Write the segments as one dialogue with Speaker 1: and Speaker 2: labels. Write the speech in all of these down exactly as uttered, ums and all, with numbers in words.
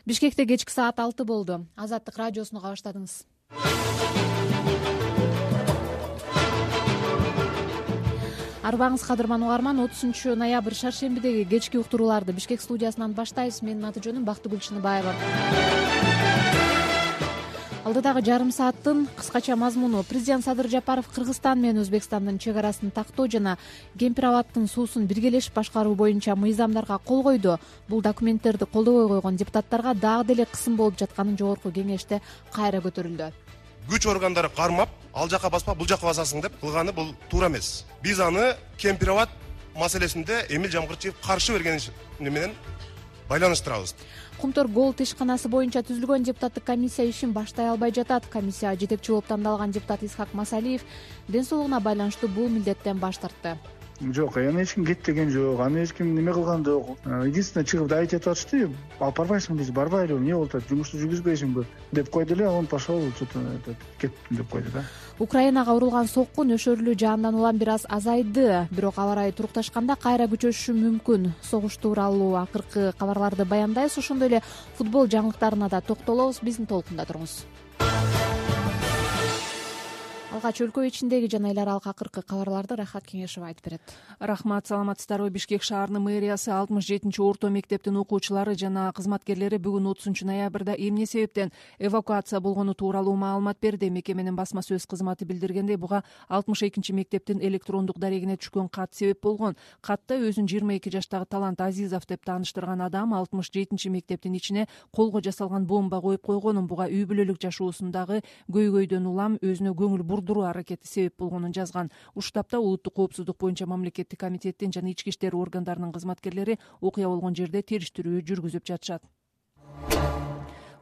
Speaker 1: Бишкекте кечки саат алты болду. Азаттык радиосуну кабаштадыңыз. Арбаңыз кадырман угарман, отузунчу ноябрь шаршембидеги кечки уктурууларды Бишкек студиясынан баштайбыз. Менин аты жөнүм Бактыгүл Чыныбаева. Алдыдагы жарым сааттын кыскача мазмуну: президент Садыр Жапаров Кыргызстан менен Өзбекстандын чек арасын тактоо жана Кемпир абадтын суусун биргелешип башкаруу боюнча мыйзамдарга кол койду. Бул документтерди колдобой койгон депутаттарга дагы деле кысым болуп жатканын жогорку кеңеште кайра көтөрүлдү.
Speaker 2: Күч органдары кармап, ал жака баспа, бул жака басасың деп кылганы бул туура эмес. Биз аны Кемпир абад маселесинде Эмил Жамгырчиев каршы берген менен байланыштырабыз.
Speaker 1: Кумтор Голд ишканасы боюнча түзүлгөн депутаттык комиссия ишин баштай албай жатат. Комиссия жетекчи болуп тандалган депутат Исхак Масалиев ден соолугуна байланыштуу бул милдеттен баш тартты.
Speaker 3: Жок, аны эч ким кетпеген жок, аны эч ким неме кылган жок. Единственное, чыгып айтып атышты, алып барбайсыңбы дейт, барбайлы, эмне болуп атат, жумушту жүргүзбөйсүңбү деп койду эле, он пошел, что-то кеттим деп койду да.
Speaker 1: Украинага урулган сокку нөшөрлүү жаандан улам бир аз азайды, бирок аба ырайы турукташканда кайра күчөшүшү мүмкүн. Согуш тууралуу акыркы кабарларды баяндайбыз, ошондой эле футбол жаңылыктарына да токтолобуз. Биздин толкунда туруңуз. Алгач өлкө ичиндеги жана эл аралык акыркы кабарларды Рахат Кеңешева айтып берет.
Speaker 4: Рахмат, саламатсыздарбы. Бишкек шаарынын мэриясы алтымыш жетинчи орто мектептин окуучулары жана кызматкерлери бүгүн отузунчу ноябрда эмне себептен эвакуация болгону тууралуу маалымат берди. Мекеменин басма сөз кызматы билдиргендей, буга алтымыш экинчи мектептин электрондук дарегине түшкөн кат себеп болгон. Катта өзүн жыйырма эки жаштагы Талант Азизов деп тааныштырган адам алтымыш жетинчи мектептин ичине колго жасалган бомба коюп койгонун, буга үй бүлөлүк жашоосундагы көйгөйдөн улам өзүнө көңүл бурдуруу аракети себеп болгонун жазган. Уштапта улуттук коопсуздук боюнча мамлекеттик комитеттин жана ички иштер органдарынын кызматкерлери окуя болгон жерде териштирүү жүргүзүп жатышат.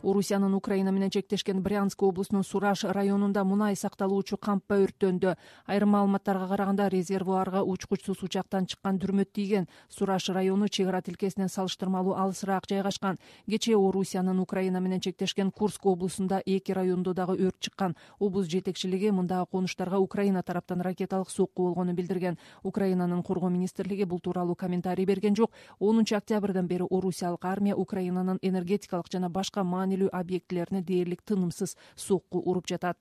Speaker 4: Орусиянын Украина менен чектешкен Брянск облусунун Сураж районунда мунай сакталуучу кампа өрттөндү. Айрым маалыматтарга караганда резервуарга учкучсуз учактан чыккан дүрмөт тийген. Сураж району чек ара тилкесинен салыштырмалуу алысыраак жайгашкан. Кечээ Орусиянын Украина менен чектешкен Курск облусунда эки райондо дагы өрт чыккан. Облус жетекчилиги мындагы конуштарга Украина тараптан ракеталык сокку болгонун билдирген. Украинанын коргоо министрлиги бул тууралуу комментарий берген жок. онунчу октябрдан бери Орусиялык армия Украинанын энергетикалык жана башка маанилүү объектилерине дээрлик тынымсыз сокку уруп жатат.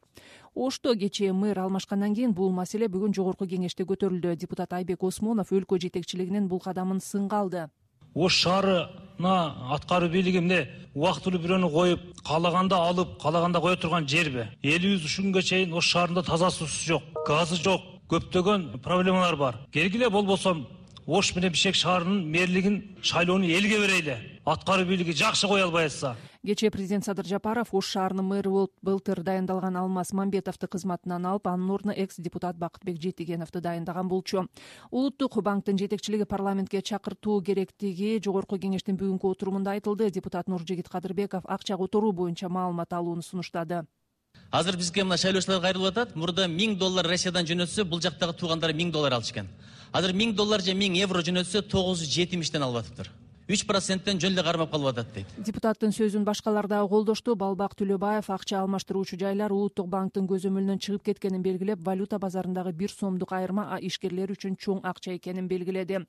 Speaker 4: Ошто кечээ мэр алмашкандан кийин бул маселе бүгүн жогорку кеңеште көтөрүлдү. Депутат Айбек Осмонов өлкө жетекчилигинин бул кадамын сынга алды.
Speaker 5: Ош шаарына аткаруу бийлиги эмне убактылуу бирөөнү коюп, каалаганда алып, каалаганда кое турган жерби? Элибиз ушунга чейин Ош шаарында таза суусу жок, газы жок, көптөгөн проблемалар бар. Келгиле болбосо Ош менен Бишкек шаарынын мэрлигин шайлоону элге берели. Аткаруу бийлиги жакшы кое албай атса.
Speaker 4: Кечээ президент Садыр Жапаров Ош шаарынын мэрі болуп былтыр дайындалган Алмаз Мамбетовду кызматынан алып, анын ордуна экс-депутат Бакытбек Жетигеновду дайындаган болчу. Улуттук банктын жетекчилиги парламентке чакыртуу керектиги жогорку кеңештин бүгүнкү отурумунда айтылды. Депутат Нуржигит Кадырбеков акча которуу боюнча маалымат алууну сунуштады.
Speaker 6: Азыр бизге мына шайлоочулар кайрылып атат. Мурда миң доллар Россиядан жөнөтсө, бул жактагы туугандары миң доллар алышкан. Азыр миң доллар же миң евро жөнөтсө тогуз жүз жетимиштен алып атыптыр. үч проценттен жөн эле кармап калып атат дейт.
Speaker 4: Депутаттын сөзүн башкалар дагы колдошту. Балбак Төлөбаев акча алмаштыруучу жайлар Улуттук банктын көзөмөлүнөн чыгып кеткенин белгилеп, валюта базарындагы бир сомдук айырма ишкерлер үчүн чоң акча экенин белгиледи.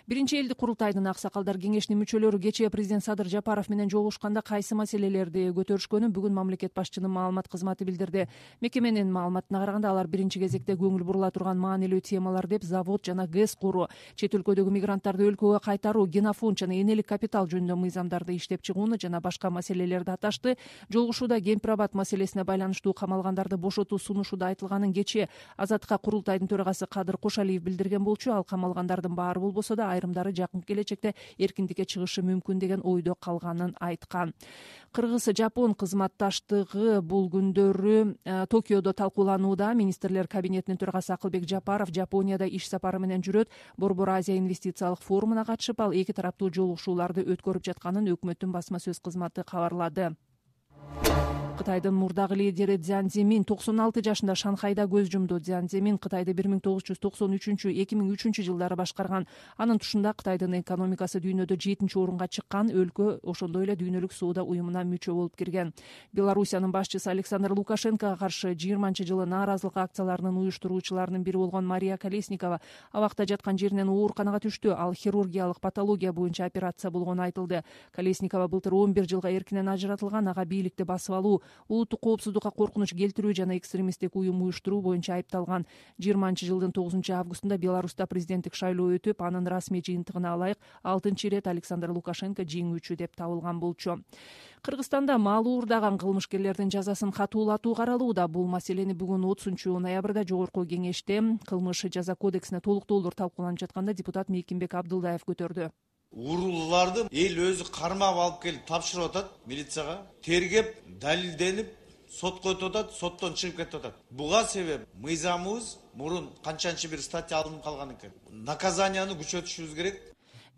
Speaker 4: Биринчи элдик курултайдын аксакалдар кеңешинин мүчөлөрү кечээ президент Садыр Жапаров менен жолугушканда кайсы маселелерди көтөрүшкөнүн бүгүн мамлекет башчынын маалымат кызматы билдирди. Мекеменин маалыматына караганда, алар биринчи кезекте көңүл бурула турган маанилүү темалар деп завод жана ГЭС куруу, чет өлкөдөгү мигранттарды өлкөгө кайтаруу, генофонд жана энелик капитал жөнүндө мыйзамдарды иштеп чыгууну жана башка маселелерди аташты. Жолугушууда Кемпир абад маселесине байланыштуу камалгандарды бошотуу сунушуда айтылганын кечээ Азаттыкка курултайдын төрагасы Кадыр Кошалиев билдирген болчу. Ал камалгандардын баары болбосо да айрымдары жакын келечекте эркиндикке чыгышы мүмкүн деген ойдо калганын айткан. Кыргыз-Жапон кызматташтыгы бул күндөрү Токиодо талкууланууда. Министрлер кабинетинин төрагасы Акылбек Жапаров Жапонияда иш сапары менен жүрөт. Борбор Азия инвестициялык форумуна катышып, ал эки тараптуу жолугушууларды өткөрүп жатканын өкмөттүн басма сөз кызматы кабарлады. Кытайдын мурдагы лидери Цзян Цзимин токсон алты жашында Шанхайда көз жумду. Цзян Цзимин Кытайды бир миң тогуз жүз токсон үчүнчү эки миң үчүнчү жылдары башкарган. Анын тушунда Кытайдын экономикасы дүйнөдө жетинчи орунга чыккан. Өлкө ошондой эле дүйнөлүк соода уюмуна мүчө болуп кирген. Белоруссиянын башчысы Александр Лукашенкого каршы жыйырманчы жылы нааразылык акцияларынын уюштуруучуларынын бири болгон Мария Колесникова абакта жаткан жеринен ооруканага түштү. Ал хирургиялык патология боюнча операция болгону айтылды. Колесникова былтыр он бир жылга эркинен ажыратылган. Ага бийликти басып алуу, улуттук коопсуздукка коркунуч келтирүү жана экстремисттик уюм уюштуруу боюнча айыпталган. жыйырманчы жылдын тогузунчу августунда Беларуста президенттик шайлоо өтүп, анын расмий жыйынтыгына ылайык алтынчы ирет Александр Лукашенко жеңүүчү деп табылган болчу. Кыргызстанда мал уурдаган кылмышкерлердин жазасын катуулатуу каралууда. Бул маселени бүгүн отузунчу ноябрда жогорку кеңеште кылмыш жаза кодексине толуктоолор талкууланып жатканда депутат Мейкимбек Абдылдаев көтөрдү.
Speaker 7: Уурулууларды эл өзү кармап алып келип тапшырып атат милицияга, тергеп, далилденип, сотко өтүп атат, соттон чыгып кетип атат. Буга себеп мыйзамыбыз мурун канчанчы бир статья алынып калган экен. Наказанияны күчөтүшүбүз керек.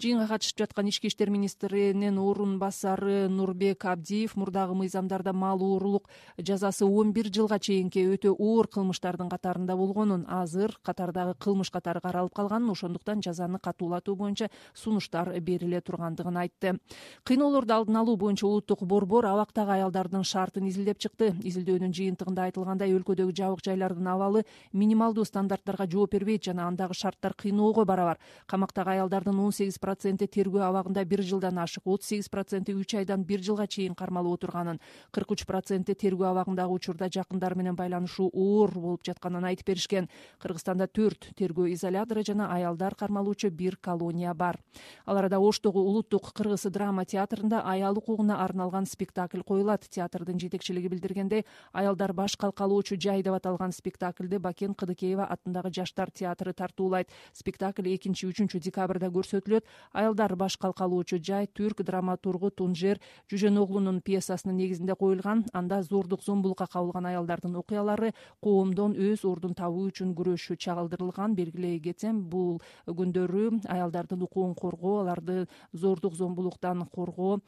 Speaker 4: Жыйынга катышып жаткан ички иштер министринин орун басары Нурбек Абдиев мурдагы мыйзамдарда мал уурулук жазасы он бир жылга чейинки өтө оор кылмыштардын катарында болгонун, азыр катардагы кылмыш катары каралып калганын, ошондуктан жазаны катуулатуу боюнча сунуштар бериле тургандыгын айтты. Кыйноолорду алдын алуу боюнча улуттук борбор абактагы аялдардын шартын изилдеп чыкты. Изилдөөнүн жыйынтыгында айтылгандай, өлкөдөгү жабык жайлардын абалы минималдуу стандарттарга жооп бербейт жана андагы шарттар кыйноого барабар. Камактагы аялдардын он сегиз проценти тергөө абагында бир жылдан ашык, отуз сегиз проценти үч айдан бир жылга чейин кармалып отурганын, кырк үч проценти тергөө абагындагы учурда жакындары менен байланышуу оор болуп жатканын айтып беришкен. Кыргызстанда төрт тергөө изолятору жана аялдар кармалуучу бир колония бар. Ал арада Оштогу улуттук кыргыз драма театрында аял укугуна арналган спектакль коюлат. Театрдын жетекчилиги билдиргендей, аялдар баш калкалоочу жай деп аталган спектакльди Бакен Кыдыкеева атындагы жаштар театры тартуулайт. Спектакль экинчи үчүнчү декабрда көрсөтүлөт. Аялдар баш калкалоочу жай түрк драматургу Тунжер Жүжөноглунун пьесасынын негизинде коюлган. Анда зордук зомбулукка кабылган аялдардын окуялары коомдон өз ордун табуу үчүн күрөшү чагылдырылган. Белгилей кетсем, бул күндөрү аялдардын укугун коргоо, аларды зордук зомбулуктан коргоо,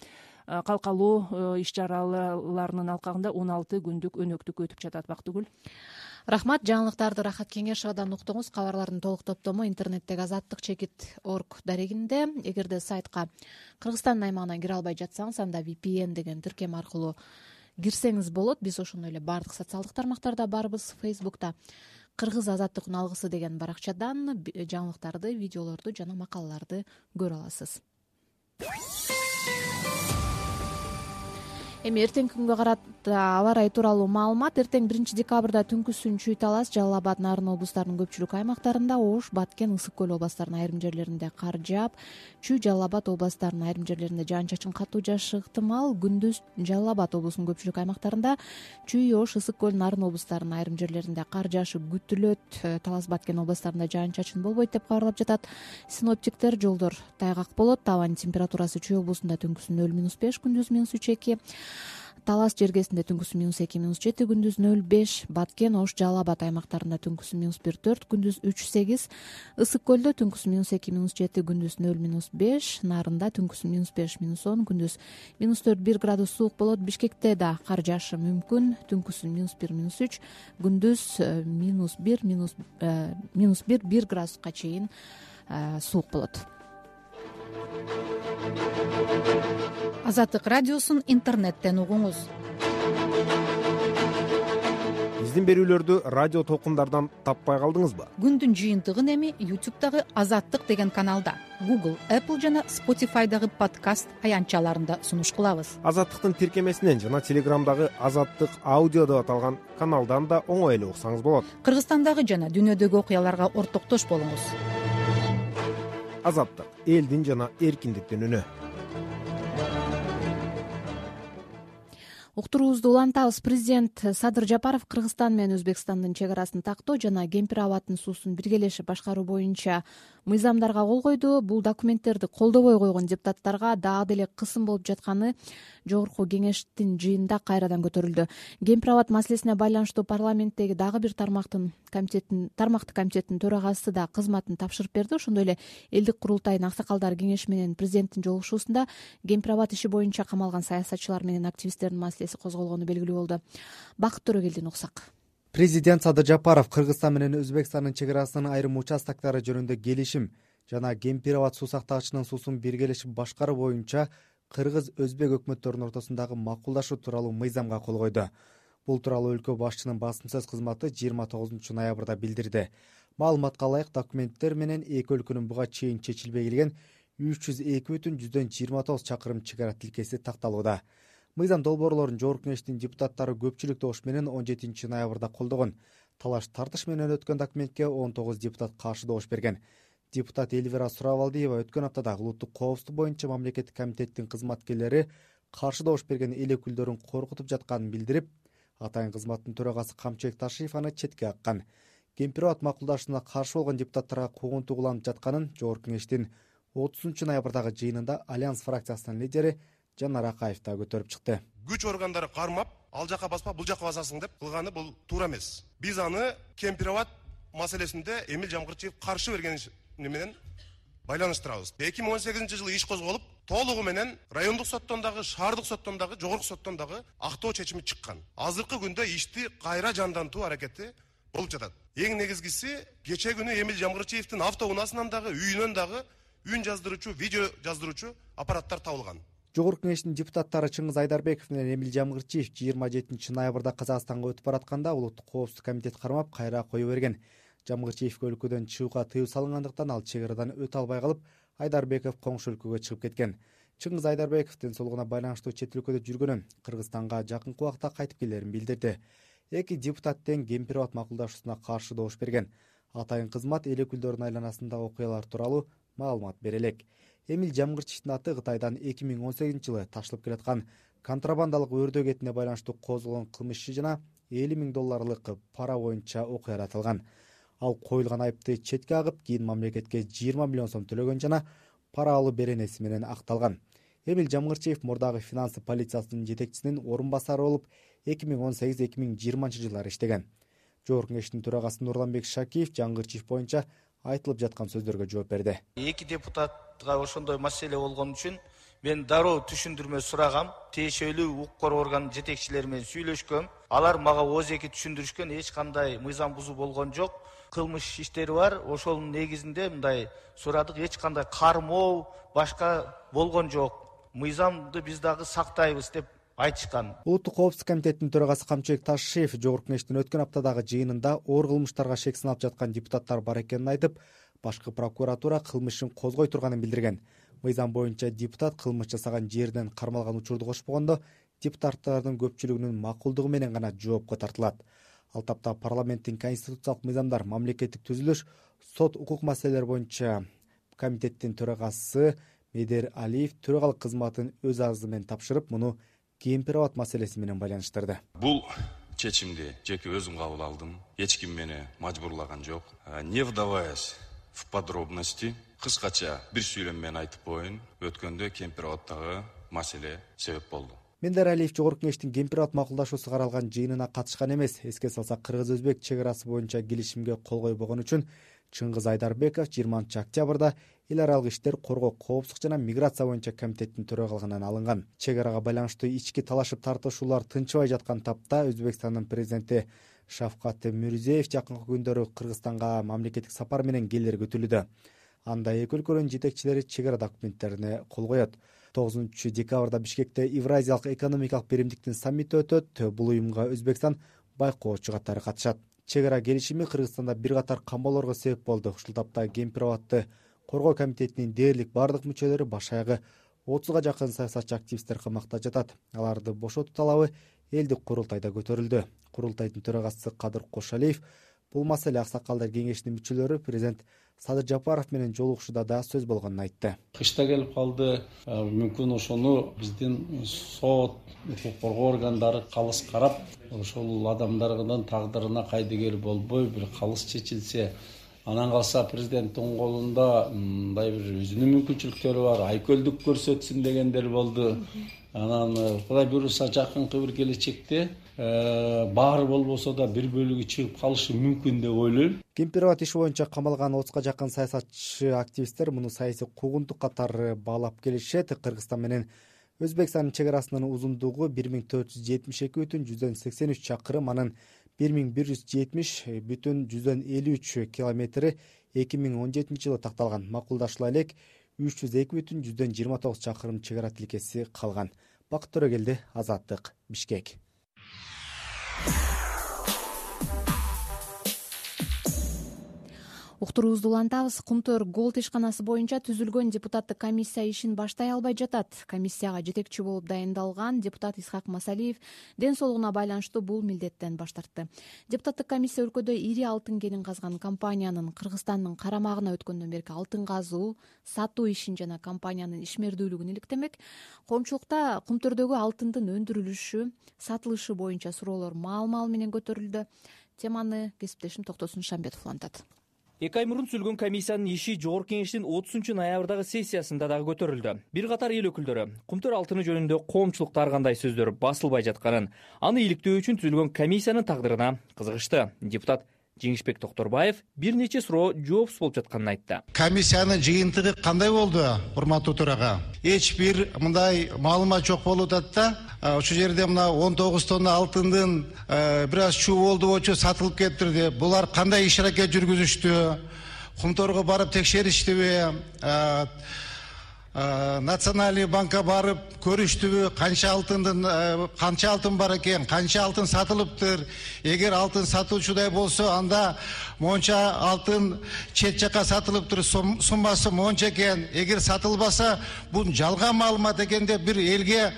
Speaker 4: калкалоо иш чараларынын алкагында он алты күндүк өнөктүк өтүп жатат. Бактыгүл.
Speaker 1: Рахмат. Жаңылыктарды Рахат Кеңешовадан уктуңуз. Кабарлардын толук топтому интернеттеги азаттык чекит точка орг дарегинде. Эгерде сайтка Кыргызстандын аймагынан кире албай жатсаңыз, анда ви пи эн деген тиркем аркылуу кирсеңиз болот. Биз ошондой эле баардык социалдык тармактарда барбыз. Фейсбукта Кыргыз азаттыктын алгысы деген баракчадан жаңылыктарды, видеолорду жана макалаларды көрө аласыз. Эми эртеңки күнгө карата аба ырайы тууралуу маалымат. Эртең биринчи декабрда түнкүсүн Чүй Талас, Жалал Абад, Нарын облустарынын көпчүлүк аймактарында, Ош, Баткен, Ысык көл областарынын айрым жерлеринде кар жаап, Чүй, Жалал Абад областарынын айрым жерлеринде жаан-чачын катуу жаашы ыктымал. Күндүз Жалал Абад облусунун көпчүлүк аймактарында, Чүй, Ош, Ысык көл, Нарын облустарынын айрым жерлеринде кар жаашы күтүлөт. Талас, Баткен областарында жаан-чачын болбойт деп кабарлап жатат синоптиктер. Жолдор тайгак болот. Абанын температурасы Чүй облусунда түнкүсүн нөл минус беш, күндүз минус үч эки. Талас жергесинде түнкүсү минус эки, минус жети, күндүз нөл беш. Баткен, Ош, Жалал Абад аймактарында түнкүсү минус бир, төрт, күндүз үч, сегиз. Ысык көлдө түнкүсү минус эки, минус жети, күндүз нөл, минус беш. Нарында түнкүсү минус беш, минус он, күндүз минус төрт, бир градус суук болот. Бишкекте да кар жаашы мүмкүн. Түнкүсү минус бир, минус үч, күндүз минус бир, минус минус бир, бир градуска чейин суук болот.
Speaker 8: Азаттык радиосун интернеттен угуңуз.
Speaker 9: Биздин берүүлөрдү радио толкундардан таппай калдыңызбы?
Speaker 8: Күндүн жыйынтыгын эми ютубтагы Азаттык деген каналда, Google, Apple жана Spotify'дагы подкаст аянтчаларында сунуш кылабыз.
Speaker 9: Азаттыктын тиркемесинен жана Телеграмдагы Азаттык аудио деп аталган каналдан да оңой эле уксаңыз болот.
Speaker 8: Кыргызстандагы жана дүйнөдөгү окуяларга ортоктош болуңуз.
Speaker 9: Азаттык — элдин жана эркиндиктин үнү.
Speaker 1: Уктуруубузду улантабыз. Президент Садыр Жапаров Кыргызстан менен Өзбекстандын чек арасын тактоо жана Кемпир абадтын суусун биргелешип башкаруу боюнча мыйзамдарга кол койду. Бул документтерди колдобой койгон депутаттарга дагы деле кысым болуп жатканы жогорку кеңештин жыйынында кайрадан көтөрүлдү. Кемпир абад маселесине байланыштуу парламенттеги дагы бир тармактын комитеттин тармактык комитеттин төрагасы да кызматын тапшырып берди. Ошондой эле элдик курултайдын аксакалдары кеңеши менен президенттин жолугушуусунда Кемпир абад иши боюнча камалган саясатчылар менен активисттердин маселеси маселеси козголгону белгилүү болду. Бакыт Төрөгелдин уксак.
Speaker 10: Президент Садыр Жапаров Кыргызстан менен Өзбекстандын чек арасынын айрым участоктары жөнүндө келишим жана Кемпир-Абад суу сактагычынын суусун биргелешип башкаруу боюнча кыргыз-өзбек өкмөттөрүнүн ортосундагы макулдашуу тууралуу мыйзамга кол койду. Бул тууралуу өлкө башчынын басым сөз кызматы жыйырма тогузунчу ноябрда билдирди. Маалыматка ылайык, документтер менен эки өлкөнүн буга чейин чечилбей келген үч жүз эки бүтүн жүздөн жыйырма тогуз чакырым чек ара тилкеси такталууда. Мыйзам долбоорлорун Жогорку Кеңештин депутаттары көпчүлүк добуш менен он жетинчи ноябрда колдогон. Талаш тартыш менен өткөн документке он тогуз депутат каршы добуш берген. Депутат Эльвира Суравалдиева өткөн аптада улуттук коопсуздук боюнча мамлекеттик комитеттин кызматкерлери каршы добуш берген эл өкүлдөрүн коркутуп жатканын билдирип, атайын кызматтын төрагасы Камчыбек Ташиев аны четке каккан. Кемпир-Абад макулдашууна каршы болгон депутаттарга куугунтуу уланып жатканын Жогорку Кеңештин отузунчу ноябрдагы жыйынында Альянс фракциясынын лидери Жанар Акаев да көтөрүп чыкты.
Speaker 2: Күч органдары кармап, ал жака баспа, бул жака басасың деп кылганы бул туура эмес. Биз аны Кемпир-Абад маселесинде Эмил Жамгырчиев каршы берген менен байланыштырабыз. эки миң он сегизинчи жылы иш козголуп, толугу менен райондук соттон дагы, шаардык соттон дагы, жогорку соттон дагы актоо чечими чыккан. Азыркы күндө ишти кайра жандантуу аракети болуп жатат. Эң негизгиси, кече күнү Эмил Жамгырчиевдин автоунаасынан дагы, үйүнөн дагы үн жаздыруучу, видео жаздыруучу аппараттар табылган.
Speaker 10: Жогорку Кеңештин депутаттары Чыңгыз Айдарбеков менен Эмил Жамгырчиев жыйырма жетинчи ноябрда Казакстанга өтүп баратканда улуттук коопсуздук комитет кармап кайра кое берген. Жамгырчиевге өлкөдөн чыгууга тыюу салынгандыктан ал чек арадан өтө албай калып, Айдарбеков коңшу өлкөгө чыгып кеткен. Чыңгыз Айдарбеков ден байланыштуу чет өлкөдө жүргөнүн, Кыргызстанга жакынкы убакта кайтып келерин билдирди. Эки депутат тең Кемпир-Абад макулдашуусуна каршы добуш берген. Атайын кызмат эл өкүлдөрүнүн айланасындагы окуялар тууралуу маалымат бере элек. Эмил Жамгырчиевдин аты Кытайдан эки миң он сегизинчи жылы ташылып келаткан контрабандалык өрдөө кетине байланыштуу козголгон кылмыш иши жана элүү миң долларлык пара боюнча окуяда аталган. Ал коюлган айыпты четке агып, кийин мамлекетке жыйырма миллион сом төлөгөн жана пара алуу беренеси менен акталган. Эмил Жамгырчиев мурдагы финансы полициясынын жетекчисинин орун басары болуп, эки миң он сегиз эки миң жыйырманчы жылдары иштеген. Жогорку Кеңештин төрагасы Нурланбек Шакиев Жамгырчиев боюнча айтылып жаткан сөздөргө жооп берди.
Speaker 11: Эки депутатка ошондой маселе болгон үчүн мен дароо түшүндүрмө сурагам. Тиешелүү укук орган жетекчилери менен сүйлөшкөм. Алар мага ооз эки түшүндүрүшкөн, эч кандай мыйзам бузуу болгон жок. Кылмыш иштери бар. Ошонун негизинде мындай сурадык, эч кандай кармоо, башка болгон жок. Мыйзамды биз дагы сактайбыз деп айтышкан.
Speaker 10: Улуттук коопсуздук комитетинин төрагасы Камчыбек Ташиев Жогорку Кеңештин өткөн аптадагы жыйынында оор кылмыштарга шек сыналып жаткан депутаттар бар экенин айтып, башкы прокуратура кылмышын козгой турганын билдирген. Мыйзам боюнча депутат кылмыш жасаган жерден кармалган учурду кошпогондо, депутаттардын көпчүлүгүнүн макулдугу менен гана жоопко тартылат. Ал тапта парламенттин конституциялык мыйзамдар, мамлекеттик түзүлүш, сот укук маселелери боюнча комитеттин төрагасы Медер Алиев төрагалык кызматын өз арызы менен тапшырып, муну Кемпир-Абад маселеси менен байланыштырды.
Speaker 12: Бул чечимди жеке өзүм кабыл алдым. Эч ким мени мажбурлаган жок. Не вдаваясь в подробности, кыскача бир сүйлөм менен айтып коеюн, өткөндө Кемпир-Абадтагы маселе себеп болду.
Speaker 10: Медер Алиев Жогорку Кеңештин Кемпир-Абад макулдашуусу каралган жыйынына катышкан эмес. Эске салсак, кыргыз-өзбек чек арасы боюнча келишимге кол койбогон үчүн Чыңгыз Айдарбеков жыйырманчы октябрда эл аралык иштер, коргоо, коопсуздук жана миграция боюнча комитеттин төрагалыгынан алынган. Чек арага байланыштуу ички талашып тартышуулар тынчыбай жаткан тапта Өзбекстандын президенти Шавкат Мирзиёев жакынкы күндөрү Кыргызстанга мамлекеттик сапар менен келери күтүлүүдө. Анда эки өлкөнүн жетекчилери чек ара документтерине кол коет. тогузунчу декабрда Бишкекте Евразиялык экономикалык биримдиктин саммити өтөт. Бул уюмга Өзбекстан байкоочу катары катышат. Чек ара келишими Кыргызстанда бир катар камбоолорго себеп болду. Ушул тапта Кемпир-Абадты коргоо комитетинин дээрлик бардык мүчөлөрү баш аягы отузга жакын саясатчы активисттер камакта жатат. Аларды бошотуу талабы элдик курултайда көтөрүлдү. Курултайдын төрагасы Кадыр Кошалиев бул маселе аксакалдар кеңешинин мүчөлөрү президент Садыр Жапаров менен жолугушууда да сөз болгонун айтты.
Speaker 13: Кышта келип калды, мүмкүн ошону биздин сот, укук коргоо органдары калыс карап, ошол адамдардын тагдырына кайдыгер болбой бир калыс чечилсе, анан калса президенттин колунда мындай бир өзүнүн мүмкүнчүлүктөрү бар, айкөлдүк көрсөтсүн дегендер болду. Анан Кудай буюрса жакынкы бир келечекте баары болбосо да бир бөлүгү чыгып калышы мүмкүн деп ойлойм.
Speaker 10: Кемпир-Абад иши боюнча камалган отузга жакын саясатчы активисттер муну саясий куугунтук катары баалап келишет. Кыргызстан менен Өзбекстандын чек арасынын узундугу бир миң төрт жүз жетимиш эки бүтүн жүздөн сексен үч чакырым, анын бир миң бир жүз жетимиш бүтүн жүздөн элүү үч километри эки миң он жетинчи жылы такталган. Макулдашыла элек үч жүз эки бүтүн жүздөн жыйырма тогуз чакырым чек ара тилкеси калган. Бакыт Төрөгелди, Азаттык, Бишкек.
Speaker 1: Уктуруубузду улантабыз. Кумтөр Голд ишканасы боюнча түзүлгөн депутаттык комиссия ишин баштай албай жатат. Комиссияга жетекчи болуп дайындалган депутат Исхак Масалиев ден соолугуна байланыштуу бул милдеттен баш тартты. Депутаттык комиссия өлкөдө ири алтын кенин казган компаниянын Кыргызстандын карамагына өткөндөн берки алтын казуу, сатуу ишин жана компаниянын ишмердүүлүгүн иликтемек. Коомчулукта кумтөрдөгү алтындын өндүрүлүшү, сатылышы боюнча суроолор маал-маал менен көтөрүлдү. Теманы кесиптешим Токтосун Шамбетов улантат.
Speaker 14: Эки ай мурун түзүлгөн комиссиянын иши жогорку кеңештин отузунчу ноябрдагы сессиясында дагы көтөрүлдү. Бир катар эл өкүлдөрү кумтөр алтыны жөнүндө коомчулукта ар кандай сөздөр басылбай жатканын, аны иликтөө үчүн түзүлгөн комиссиянын тагдырына кызыгышты. Депутат Жеңишбек Токторбаев бир нече суроо жоопсуз болуп жатканын айтты.
Speaker 15: Комиссиянын жыйынтыгы кандай болду, урматтуу төрага? Эч бир мындай маалымат жок болуп атат да. Ошол жерде мына он тогуз тонна алтындын бир аз чуу болду болчу сатылып кетти. Булар кандай иш аракет жүргүзүштү? Кумторго барып текшериштиби? Национальный банкка барып көрүштүбү, канча алтындын канча алтын бар экен, канча алтын сатылыптыр? Эгер алтын сатуучудай болсо, анда монча алтын чет жака сатылыптыр, суммасы монча экен. Эгер сатылбаса, бул жалган маалымат экен деп бир элге,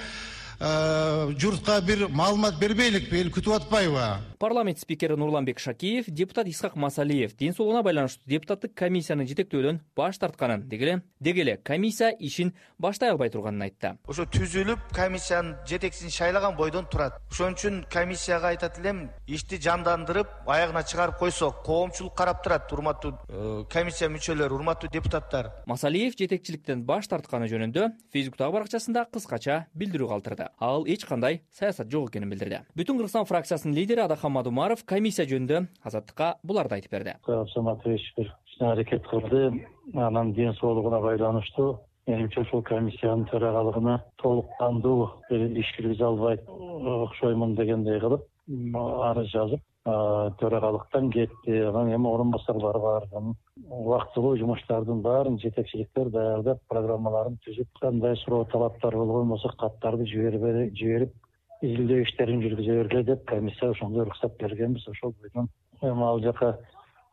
Speaker 15: журтка бир маалымат бербейликпи, эл күтүп атпайбы?
Speaker 14: Парламент спикери Нурланбек Шакиев депутат Исхак Масалиев ден соолугуна байланыштуу депутаттык комиссияны жетектөөдөн баш тартканын, дегеле дегеле комиссия ишин баштай албай турганын айтты.
Speaker 11: Ошо түзүлүп, комиссиянын жетекчисин шайлаган бойдон турат. Ошон үчүн комиссияга айтат элем, ишти жандандырып, аягына чыгарып койсок, коомчулук карап турат, урматтуу комиссия мүчөлөрү, урматтуу депутаттар.
Speaker 14: Масалиев жетекчиликтен баш тартканы жөнүндө Фейсбуктагы баракчасында кыскача билдирүү калтырды. Ал эч кандай саясат жок экенин билдирди. Бүтүн Кыргызстан фракциясынын лидери Адахамад Умаров комиссия жөнүндө Азаттыкка буларды айтып берди.
Speaker 16: Саматович бир аракет кылды, анан ден соолугуна байланыштуу менимче ушул комиссиянын төрагалыгына толук кандуу иш киргизе албайт окшоймун дегендей кылып арыз жазып төрагалыктан кетти. Анан эми орун басарлары бар. Убактылуу жумуштардын баарын жетекчиликтер даярдап, программаларын түзүп, кандай суроо талаптар болгон болсо каттарды жиберип, изилдөө иштерин жүргүзө бергиле деп комиссия ошондой уруксат бергенбиз. Ошол бойдон эми ал жака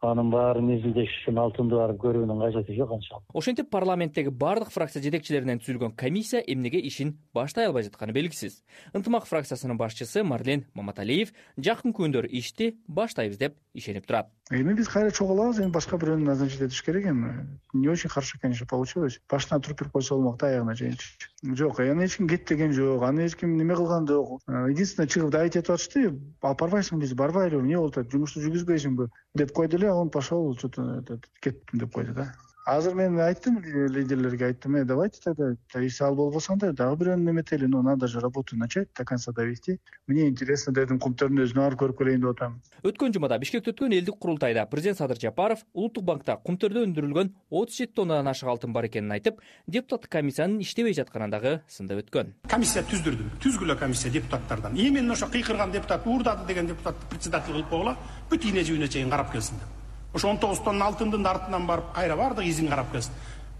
Speaker 16: анын баарын изилдеш үчүн алтынды барып көрүүнүн кажети жок анчалык.
Speaker 14: Ошентип парламенттеги бардык фракция жетекчилеринен түзүлгөн комиссия эмнеге ишин баштай албай жатканы белгисиз. Ынтымак фракциясынын башчысы Марлен Маматалиев жакын күндөр ишти баштайбыз деп ишенип турат.
Speaker 3: Эми биз кайра чогулабыз, эми башка бирөөнү назначить этиш керек эми. Не очень хорошо, конечно, получилось. Башынан туруп берип койсо болмок да, аягына чейинчи. Жок, аны эч ким кет деген жок, аны эч ким неме кылган жок. Единственное, чыгып да айтып атышты, алып барбайсың биз, барбайлы, эмне болуп атат, жумушту жүргүзбөйсүңбү деп койду эле, он пошел, что-то кеттим деп койду да. Азыр мен айттым, лидерлерге айттым, э, давайте тогда, если ал болбосо анда дагы бирөөнү неметели, но надо же работу начать, до конца довести. Мне интересно дедим, кумтөрдүн өзүнө барып көрүп келейин деп атам.
Speaker 14: Өткөн жумада Бишкекте өткөн элдик курултайда президент Садыр Жапаров Улуттук банкта кумтөрдө өндүрүлгөн отуз жети тоннадан ашык алтын бар экенин айтып, депутаттык комиссиянын иштебей жатканын дагы сындап өткөн.
Speaker 17: Комиссия түздүрдүм, түзгүлө комиссия депутаттардан. Именно ошо кыйкырган депутат, уурдады деген депутатты председатель кылып койгула, бүт ийне жибине чейин карап келсин деп. Ошо он тогуз тонна алтындын артынан барып кайра бардык, изин карап келсин.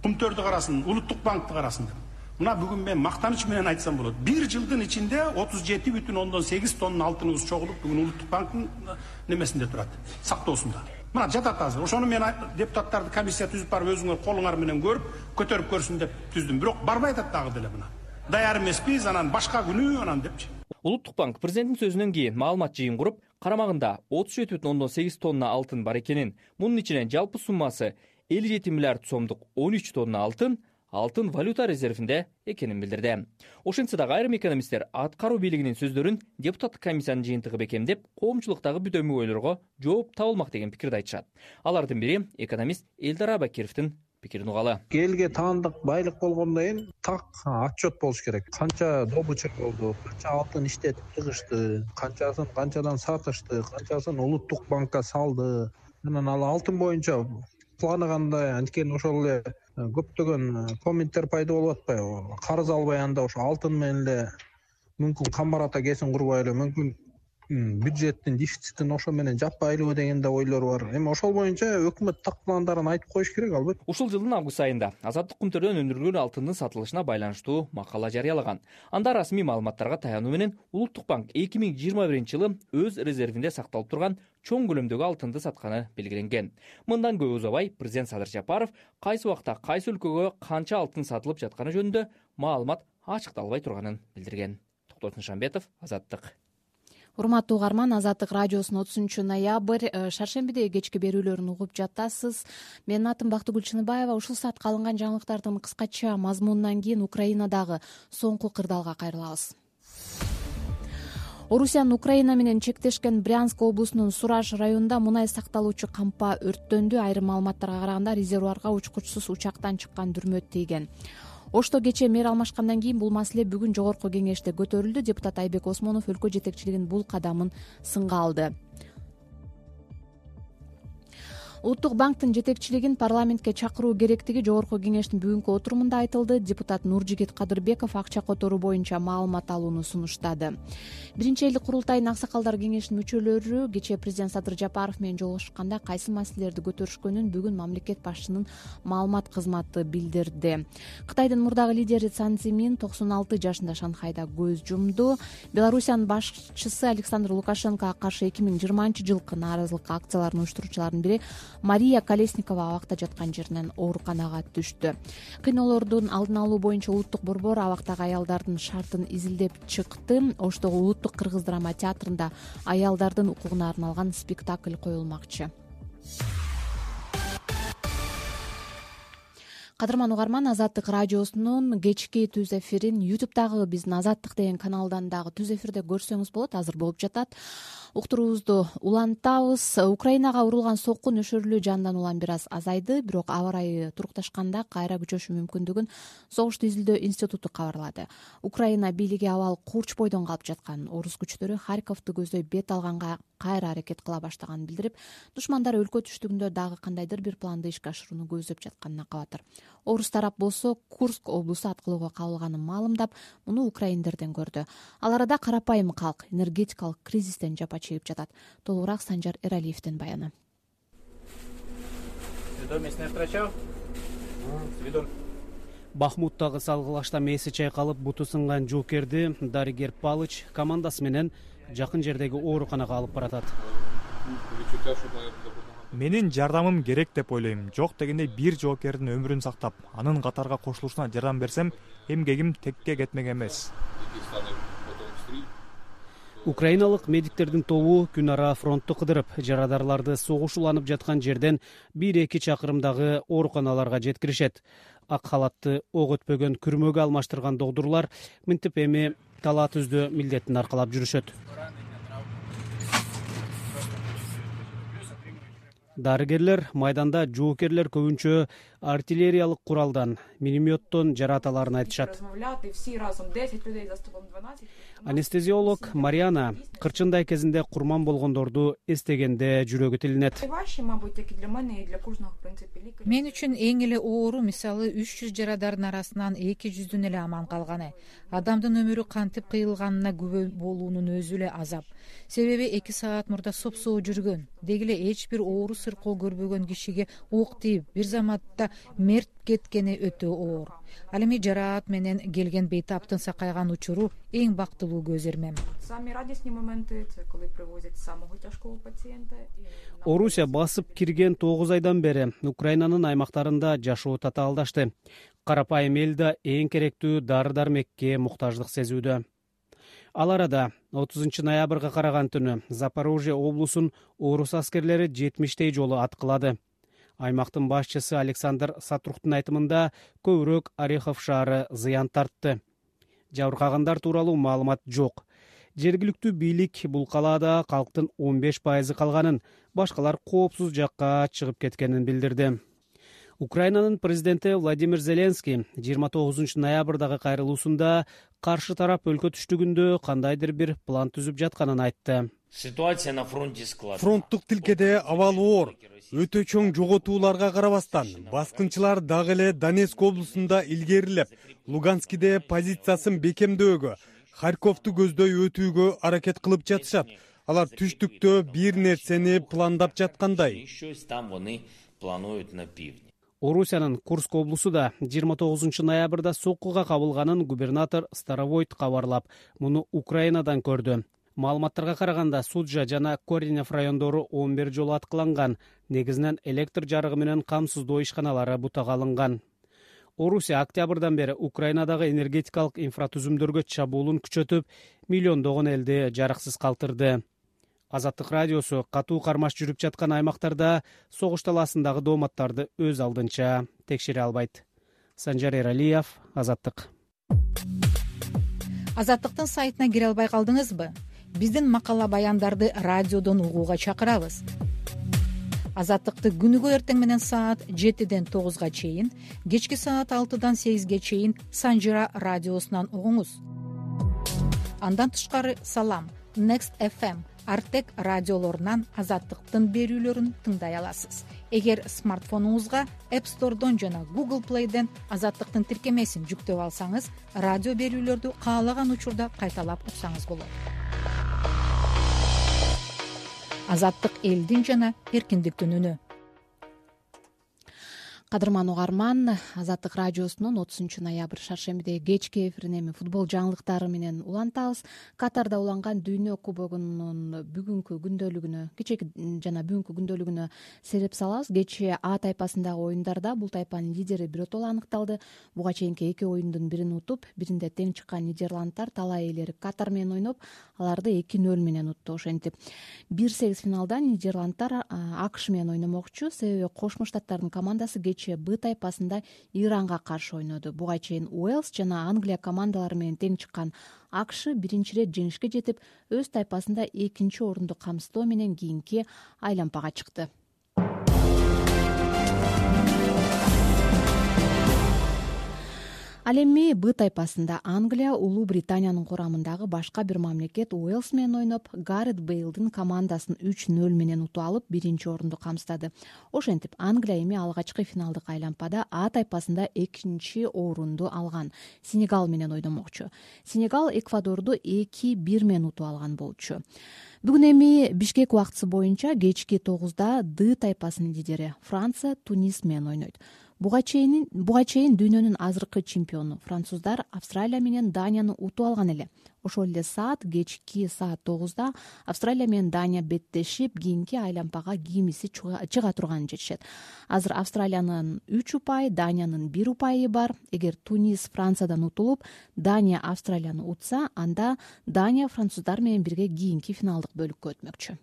Speaker 17: Кумтөрдү карасын, Улуттук банкты карасын деп. Мына бүгүн мен мактаныч менен айтсам болот. Бир жылдын ичинде отуз жети бүтүн ондон сегиз тонна алтыныбыз чогулуп, бүгүн Улуттук банктын немесинде турат, сактоосунда. Мына жатат азыр. Ошону мен депутаттарды комиссия түзүп барып өзүңөр колуңар менен көрүп, көтөрүп көрсүн деп түздүм. Бирок барбай атат дагы деле мына. Даяр эмеспиз, анан башка күнү анан депчи.
Speaker 14: Улуттук банк президенттин сөзүнөн кийин маалымат жыйын куруп, карамагында отуз жети бүтүн ондон сегиз тонна алтын бар экенин, мунун ичинен жалпы суммасы элүү жети миллиард сомдук он үч тонна алтын, алтын валюта резервинде экенин билдирди. Ошентсе дагы айрым экономисттер аткаруу бийлигинин сөздөрүн депутаттык комиссиянын жыйынтыгы бекемдеп, коомчулуктагы бүдөмүү ойлорго жооп табылмак деген пикирди айтышат. Алардын бири экономист Элдар Абакировдун пикирин угалы.
Speaker 18: Элге таандык байлык болгондон кийин так отчет болуш керек. Канча добыча болду, канча алтын иштетип чыгышты, канчасын канчадан сатышты, канчасын Улуттук банкка салды. Анан ал алтын боюнча планы кандай, анткени ошол эле көптөгөн комменттер пайда болуп атпайбы? Карыз албай анда ошо алтын менен эле мүмкүн камбарата кесин курбай эле мүмкүн бюджеттин дефицитин ошо менен жаппайлыбы деген да ойлор бар. Эми ошол боюнча өкмөт так пландарын айтып коюш керек албетте.
Speaker 14: Ушул жылдын август айында азаттык күнтөрдөн өндүрүлгөн алтындын сатылышына байланыштуу макала жарыялаган. Анда расмий маалыматтарга таянуу менен Улуттук банк эки миң жыйырма биринчи жылы өз резервинде сакталып турган чоң көлөмдөгү алтынды сатканы белгиленген. Мындан көп узабай президент Садыр Жапаров кайсы убакта кайсы өлкөгө канча алтын сатылып жатканы жөнүндө маалымат ачыкталбай турганын билдирген. Токтор Нышанбетов, Азаттык.
Speaker 1: Урматтуу угарман, Азаттык радиосунун отузунчу ноябрь шаршембидеги кечки берүүлөрүн угуп жатасыз. Менин атым Бактыгүл Чыныбаева. Ушул саатка алынган жаңылыктардын кыскача мазмунунан кийин Украинадагы соңку кырдаалга кайрылабыз. Орусиянын Украина менен чектешкен Брянск облусунун Сураж районунда мунай сакталуучу кампа өрттөндү. Айрым маалыматтарга караганда резервуарга учкучсуз учактан чыккан дүрмөт тийген. Ошто кечээ мэр алмашкандан кийин бул маселе бүгүн жогорку кеңеште көтөрүлдү. Депутат Айбек Осмонов өлкө жетекчилигинин бул кадамын сынга алды. Улуттук банктын жетекчилигин парламентке чакыруу керектиги жогорку кеңештин бүгүнкү отурумунда айтылды. Депутат Нуржигит Кадырбеков акча которуу боюнча маалымат алууну сунуштады. Биринчи элдик курултайдын аксакалдар кеңешинин мүчөлөрү кечээ президент Садыр Жапаров менен жолугушканда кайсы маселелерди көтөрүшкөнүн бүгүн мамлекет башчысынын маалымат кызматы билдирди. Кытайдын мурдагы лидери Цан Цзимин токсон алты жашында Шанхайда көз жумду. Белоруссиянын башчысы Александр Лукашенкого каршы эки миң жыйырманчы жылкы нааразылык акцияларын уюштуруучулардын бири Мария Колесникова абакта жаткан жеринен ооруканага түштү. Кыйноолордун алдын алуу боюнча улуттук борбор абактагы аялдардын шартын изилдеп чыкты. Оштогу улуттук кыргыз драма театрында аялдардын укугуна арналган спектакль коюлмакчы. Кадырман угарман, Азаттык радиосунун кечки түз эфирин ютубтагы биздин Азаттык деген каналдан дагы түз эфирде көрсөңүз болот. Азыр болуп жатат. Уктуруубузду улантабыз. Украинага урулган сокку нөшөрлүү жандан улам бир аз азайды, бирок аба ырайы турукташканда кайра күчөшү мүмкүндүгүн Согушту изилдөө институту кабарлады. Украина бийлиги абал курч бойдон калып жаткан. Орус күчтөрү Харьковду көздөй бет алганга кайра аракет кыла баштаганын билдирип, душмандар өлкө түштүгүндө дагы кандайдыр бир планды ишке ашырууну көздөп жатканына кабатыр. Орус тарап болсо Курск облусу аткылоого кабылганын маалымдап, муну украиндерден көрдү. Ал арада карапайым калк энергетикалык кризистен жапа чегип жатат. Толугураак Санжар Эралиевдин баяны.
Speaker 19: Бахмуттагы салгылашта мээси чайкалып, буту сынган жоокерди дарыгер Палыч командасы менен жакын жердеги ооруканага алып баратат.
Speaker 20: Менин жардамым керек деп ойлойм. Жок дегенде бир жоокердин өмүрүн сактап, анын катарга кошулушуна жардам берсем, эмгегим текке кетмек эмес.
Speaker 19: Украиналык медиктердин тобу күн ара фронтту кыдырып, жарадарларды согуш уланып жаткан жерден бир эки чакырымдагы ооруканаларга жеткиришет. Ак халатты ок өтпөгөн күрмөгө алмаштырган догдурлар мынтип эми талаа түздөө милдетин аркалап жүрүшөт. Дарыгерлер майданда жоокерлер көбүнчө артиллериялык куралдан, минометтон жараталарын айтышат. Анестезиолог Мариана кырчындай кезинде курман болгондорду эстегенде жүрөгү тилинет.
Speaker 21: Мен үчүн эң эле оору мисалы үч жүз жарадардын арасынан эки жүздүн эле аман калганы. Адамдын өмүрү кантип кыйылганына күбө болуунун өзү эле азап. Себеби эки саат мурда сопсоо жүргөн, деги эле эч бир оору сыркоо көрбөгөн кишиге ок тийип, бир заматта мерт кеткени өтө оор. Ал эми жараат менен келген бейтаптын сакайган учуру эң бактылуу көз эрмем.
Speaker 19: Орусия басып кирген тогуз айдан бери Украинанын аймактарында жашоо татаалдашты. Карапайым эл да эң керектүү дары-дармекке муктаждык сезүүдө. Ал арада отузунчу ноябрга караган түнү Запорожье облусун орус аскерлери жетимиштей жолу аткылады. Аймактын башчысы Александр Сатруктун айтымында көбүрөөк Орехов шаары зыян тартты. Жабыркагандар тууралуу маалымат жок. Жергиликтүү бийлик бул калаада калктын он беш пайызы калганын, башкалар коопсуз жакка чыгып кеткенин билдирди. Украинанын президенти Владимир Зеленский жыйырма тогузунчу ноябрдагы кайрылуусунда каршы тарап өлкө түштүгүндө кандайдыр бир план түзүп жатканын айтты.
Speaker 5: Ситуация на фронте складывается.
Speaker 22: Фронттук тилкеде абал оор. Өтө чоң жоготууларга карабастан баскынчылар дагы эле Донецк облусунда илгерилеп, Луганскиде позициясын бекемдөөгө, Харьковду көздөй өтүүгө аракет кылып жатышат. Алар түштүктө бир нерсени пландап жаткандай.
Speaker 19: Орусиянын Курск облусу да жыйырма тогузунчу ноябрда соккуга кабылганын губернатор Старовойт кабарлап, муну Украинадан көрдү. Маалыматтарга караганда Суджа жана Коренев райондору он бир жолу аткыланган, негизинен электр жарыгы менен камсыздоо ишканалары бутага алынган. Орусия октябрдан бери Украинадагы энергетикалык инфратүзүмдөргө чабуулун күчөтүп, миллиондогон элди жарыксыз калтырды. Азаттык радиосу катуу кармаш жүрүп жаткан аймактарда согуш талаасындагы дооматтарды өз алдынча текшере албайт. Санжар Эралиев, Азаттык.
Speaker 21: Азаттыктын сайтына кире албай калдыңызбы? Биздин макала баяндарды радиодон угууга чакырабыз. Азаттыкты күнүгө эртең менен саат жетиден тогузга чейин, кечки саат алтыдан сегизге чейин Санжира радиосунан угуңуз. Андан тышкары Салам, Next эф эм, Артек радиолорунан Азаттыктын берүүлөрүн тыңдай аласыз. Эгер смартфонуңузга App Store'дон жана Google Play'ден Азаттыктын тиркемесин жүктөп алсаңыз, радио берүүлөрдү каалаган учурда кайталап уксаңыз болот. Азаттык элдин жана эркиндиктин үнү.
Speaker 1: Кадырман угарман, Азаттык радиосунун отузунчу ноябрь шаршембиде кечки эфирин эми футбол жаңылыктары менен улантабыз. Катарда уланган Дүйнө кубогунун бүгүнкү күндөлүгүнө, кечеки жана бүгүнкү күндөлүгүнө сереп салабыз. Кечээ А тайпасындагы оюндарда бул тайпанын лидери биротоло аныкталды. Буга чейинки эки оюндун бирин утуп, биринде тең чыккан Нидерландтар талай ээлери Катар менен ойноп, аларды эки нөл менен утту. Ошентип бир сегиз финалда Нидерландтар АКШ менен ойномокчу, себеби Кошмо Штаттардын командасы кечээ Б тайпасында Иранга каршы ойноду. Буга чейин Уэльс жана Англия командалары менен тең чыккан АКШ биринчи ирет жеңишке жетип, өз тайпасында экинчи орунду камсыздоо менен кийинки айлампага чыкты. Ал эми Б тайпасында Англия Улуу Британиянын курамындагы башка бир мамлекет Уэльс менен ойноп, Гарет Бейлдин командасын үч нөл менен утуп алып, биринчи орунду камсыздады. Ошентип Англия эми алгачкы финалдык айлампада А тайпасында экинчи орунду алган. Сенегал менен ойномокчу. Сенегал Эквадорду эки бир менен утуп алган болчу. Бүгүн эми Бишкек убактысы боюнча кечки тогузда Д тайпасынын лидери Франция Тунис менен ойнойт. Буга чейин буга чейин дүйнөнүн азыркы чемпиону француздар Австралия менен Данияны утуп алган эле. Ошол эле саат кечки саат тогузда Австралия менен Дания беттешип, кийинки айлампага кимиси чыга турганын жетишет. Азыр Австралиянын үч упайы, Даниянын бир упайы бар. Эгер Тунис Франциядан утулуп, Дания Австралияны утса, анда Дания француздар менен бирге кийинки финалдык бөлүккө өтмөкчү.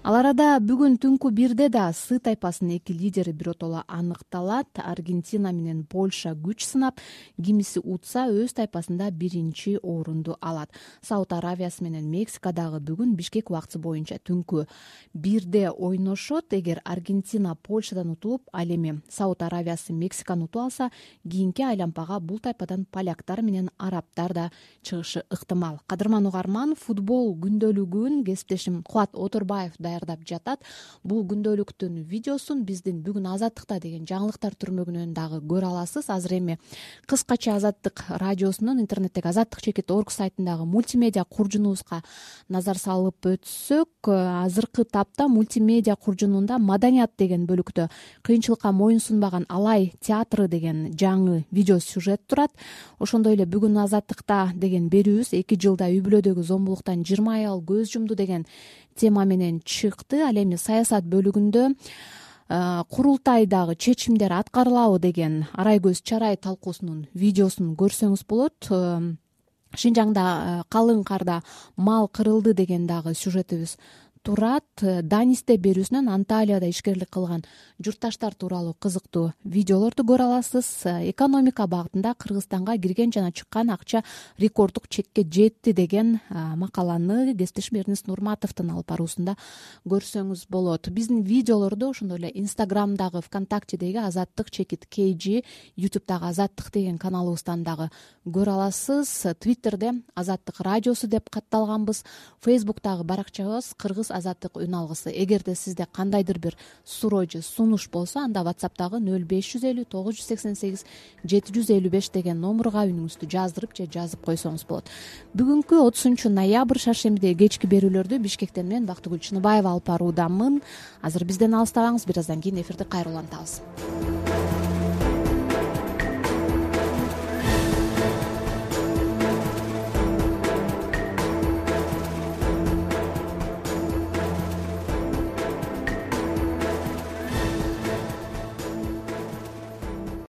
Speaker 1: Ал арада бүгүн түнкү бирде да С тайпасынын эки лидери биротоло аныкталат. Аргентина менен Польша күч сынап, кимиси утса өз тайпасында биринчи орунду алат. Сауд Аравиясы менен Мексикадагы бүгүн Бишкек убактысы боюнча түнкү бирде ойношот. Эгер Аргентина Польшадан утулуп, ал эми Сауд Аравиясы Мексиканы утуп алса, кийинки айлампага бул тайпадан поляктар менен арабтар да чыгышы ыктымал. Кадырман угарман, футбол күндөлүгүн кесиптешим Кубат Оторбаев даярдап жатат. Бул күндөлүктүн видеосун биздин бүгүн Азаттыкта деген жаңылыктар түрмөгүнөн дагы көрө аласыз. Азыр эми кыскача Азаттык радиосунун интернеттеги азаттык чекит орг сайтындагы мультимедиа куржунубузга назар салып өтсөк, азыркы тапта мультимедиа куржунунда Маданият деген бөлүктө кыйынчылыкка моюн сунбаган Алай театры деген жаңы видео сюжет турат. Ошондой эле бүгүн Азаттыкта деген берүүбүз эки жылда үй бүлөдөгү зомбулуктан жыйырма аял көз жумду деген тема менен чыкты. Ал эми саясат бөлүгүндө курултайдагы чечимдер аткарылабы деген Арайкөз Чарай талкуусунун видеосун көрсөңүз болот. Шинжаңда калың карда мал кырылды деген дагы сюжетибиз турат. Данисте берүүсүнөн Анталияда ишкерлик кылган журтташтар тууралуу кызыктуу видеолорду көрө аласыз. Экономика багытында Кыргызстанга кирген жана чыккан акча рекорддук чекке жетти деген макаланы кесиптешим Эрнест Нурматовдун алып баруусунда көрсөңүз болот. Биздин видеолорду ошондой эле Инстаграмдагы, ВКонтактедеги Азаттык чекит кей жи, Ютубдагы Азаттык деген каналыбыздан дагы көрө аласыз. Твиттерде Азаттык радиосу деп катталганбыз. Фейсбуктагы баракчабыз Кыргыз Азаттык үн алгысы. Эгерде сизде кандайдыр бир суроо же сунуш болсо, анда WhatsAppдагы нөл беш жүз элүү тогуз жүз сексен сегиз жети жүз элүү беш деген номурга үнүңүздү жаздырып же жазып койсоңуз болот. Бүгүнкү отузунчу ноябрь шаршембидеги кечки берүүлөрдү Бишкектен мен Бактыгүл Чыныбаева алып баруудамын. Азыр бизден алыстабаңыз, бир аздан кийин эфирди кайра улантабыз.